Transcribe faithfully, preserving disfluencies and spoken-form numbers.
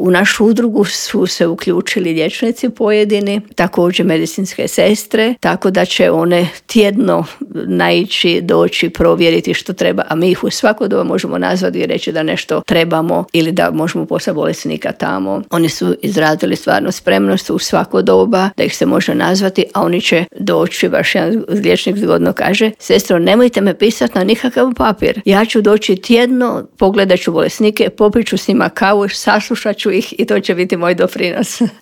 U našu udrugu su se uključili liječnici pojedini, također medicinske sestre, tako da će one tjedno naići, doći, provjeriti što treba, a mi ih u svako doba možemo nazvati i reći da nešto trebamo ili da možemo poslati bolesnika tamo. Oni su izrazili stvarno spremnost u svako doba da ih se može nazvati, a oni će doći, baš jedan liječnik zgodno kaže, sestro, nemojte me pisati na nikakav papir. Ja ću doći tjedno, pogledat ću bolesnike, popit ću s njima kavu, saslušat ću ih i to će biti moj doprinos.